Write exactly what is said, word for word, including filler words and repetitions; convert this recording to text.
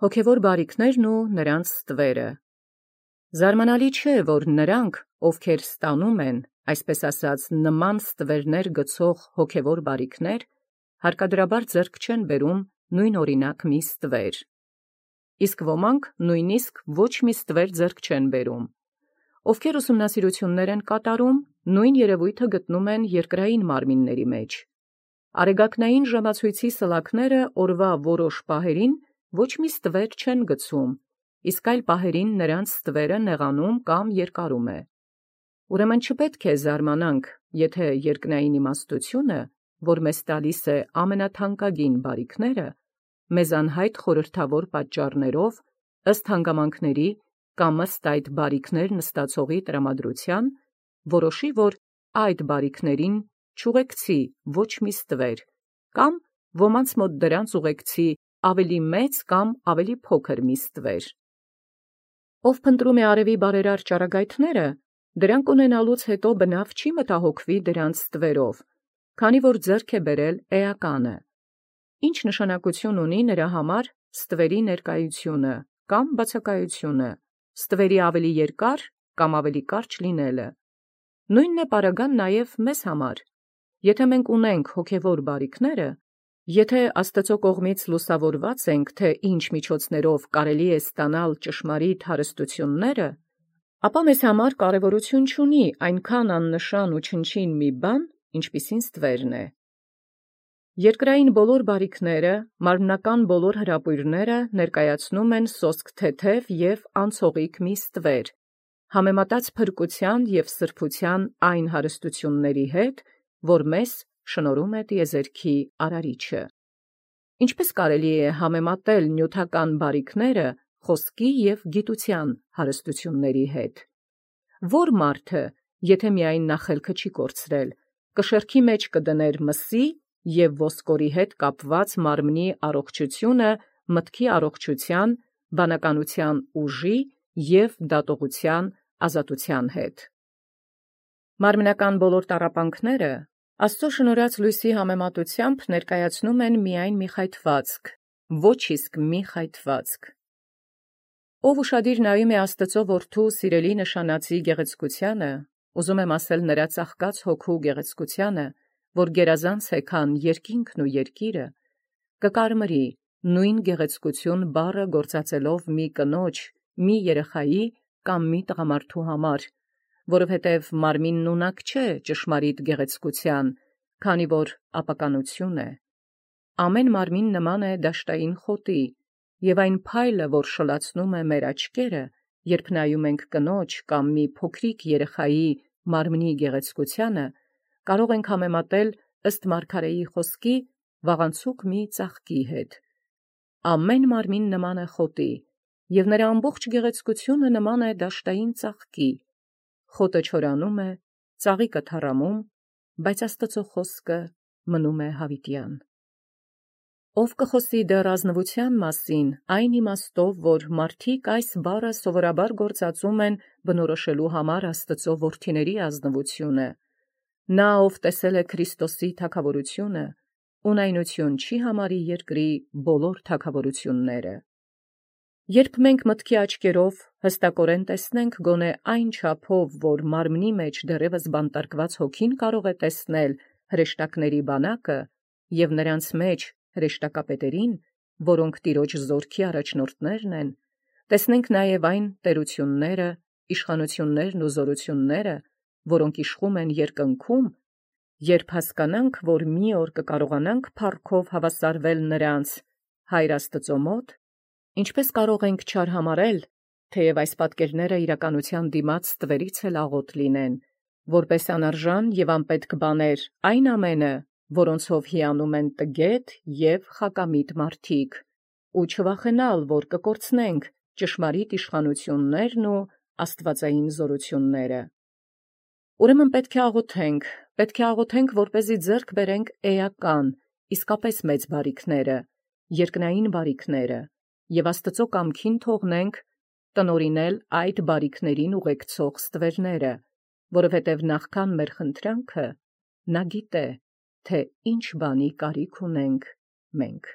Հոգևոր բարիքներն ու նրանց ստվերը։ Զարմանալի չէ, որ նրանք, ովքեր ստանում են, այսպես ասած, նման ստվերներ գցող հոգևոր բարիքներ, հարկադրաբար ձեռք չեն բերում նույն օրինակ մի ստվեր։ Իսկ ոմանք նույնիսկ ոչ մի ստվեր ձեռք չեն բերում։ Ովքեր ուսումնասիրություններ են կատարում, նույն երևույթը գտնում են երկրային մարմինների մեջ։ Արեգակնային ժամացույցի սլաքները օրվա որոշ պահերին ոչ մի ստվեր չեն գցում, իսկ այլ պահերին նրանց ստվերը նեղանում կամ երկարում է։ Ուրեմն չպետք է զարմանանք, եթե երկնային իմաստությունը, որ մեզ տալիս է ամենաթանկագին բարիքները, մեզ անհայտ խորհրդավոր պատճառներով, ըստ հանգամանքների կամ ըստ այդ բարիքներ նստածողի տրամադրության, որոշի, որ այդ բարիքներին չուղեկցի ոչ մի ստվեր, կամ ոմանց մոտ դրանց ուղեկցի ավելի մեծ կամ ավելի փոքր մի ստվեր։ Ով փնտրում է արևի բարերար ճառագայթները, դրանք ունենալուց հետո բնավ չի մտահոգվի դրանց ստվերով, քանի որ ձեռք է բերել էականը։ Ինչ նշանակություն ունի նրա համար ստվերի ներկայությունը կամ բացակայությունը, ստվերի ավելի երկար կամ ավելի կարճ լինելը։ Նույնն է պարագան նաև մեզ համար։ Եթե մենք ունենք հոգևոր բարիքները, եթե Աստծո կողմից լուսավորված ենք, թե ինչ միջոցներով կարելի է ստանալ ճշմարիտ հարստությունները, ապա մեզ համար կարևորություն չունի այնքան աննշան ու չնչին մի բան, ինչպիսին ստվերն է։ Երկրային բոլոր բարիքները, մարմնական բոլոր հրապույրները ներկայացնում են սոսկ թեթև և անցողիկ մի ստվեր, համեմատած փրկության և սրբության այն հարստությունների հետ, որ մեզ շնորհում է տիեզերքի Արարիչը։ Ինչպես կարելի է համեմատել նյութական բարիքները խոսքի և գիտության հարստությունների հետ։ Որ մարդը, եթե միայն նա խելքը չի կորցրել, կշեռքի մեջ կդներ մսի և ոսկորի հետ կապված մարմնի առողջությունը մտքի առողջության, բանականության ուժի և դատողության ազատության հետ։ Մարմնական բոլոր տառապանքները Աստծո շնորհած լույսի համեմատությամբ ներկայացնում են միայն մի խայթվածք, ոչ իսկ մի խայթվածք։ Ով ուշադիր նայում է Աստծո որդու սիրելի նշանածի գեղեցկությանը, ուզում եմ ասել նրա ծաղկած հոգու գեղեցկությանը, որ գերազանց է, քան երկինքն ու երկիրը, կկարմրի նույն գեղեցկություն բառը գործածելով մի կնոջ, մի երեխայի կամ մի տղամարդու համար, որովհետև մարմինն ունակ չէ ճշմարիտ գեղեցկության, քանի որ ապականություն է։ Ամեն մարմին նման է դաշտային խոտի, և այն փայլը, որ շլացնում է մեր աչքերը, երբ նայում ենք կնոջ կամ մի փոքրիկ երեխայի մարմնի գեղեցկությանը, կարող ենք համեմատել ըստ մարգարեի խոսքի վաղանցուկ մի ծաղկի հետ։ Ամեն մարմին նման է խոտի, և նրա ամբողջ գեղեցկությունը նման է դաշտային ծաղկի։ Խոտը չորանում է, ծաղիկը թառամում, բայց Աստծո խոսքը մնում է հավիտյան։ Ով կխոսի դեռ ազնվության մասին, այն իմաստով, որ մարդիկ այս բառը սովորաբար գործածում են բնորոշելու համար Աստծո որդիների ազնվությունը, նա, ով տեսել է Քրիստոսի թագավորությունը, ունայնություն չի համարի երկրի բոլոր թագավորությունները։ Երբ մենք մտքի աչքերով հստակորեն տեսնենք գոնե այն չափով, որ մարմնի մեջ դեռևս բանտարկված հոգին կարող է տեսնել հրեշտակների բանակը և նրանց մեջ հրեշտակապետերին, որոնք Տիրոջ զորքի առաջնորդներն են, տեսնենք նաև այն տերությունները, իշխանություններն ու զորությունները, որոնք իշխում են երկնքում, երբ հասկանանք, որ մի օր կկարողանանք փառքով հավասարվել նրանց Հայր Աստծո մոտ, ինչպես կարող ենք չարհամարել, թեև այս պատկերները իրականության դիմաց ստվերից էլ աղոտ լինեն, որպես անարժան և անպետք բաներ այն ամենը, որոնցով հիանում են տգետ և խակամիտ մարդիկ, ու չվախենալ, որ կկորցնենք ճշմարիտ իշխանություններն ու աստվածային զորությունները։ Ուրեմն պետք է աղոթենք, պետք է աղոթենք, որպեսզի ձեռք բերենք էական, իսկապես մեծ բարիքները, երկնային բարիքները, և Աստծո կամքին թողնենք տնօրինել այդ բարիքներին ուղեկցող ստվերները, որովհետև նախքան մեր խնդրանքը, նա գիտե, թե ինչ բանի կարիք ունենք մենք։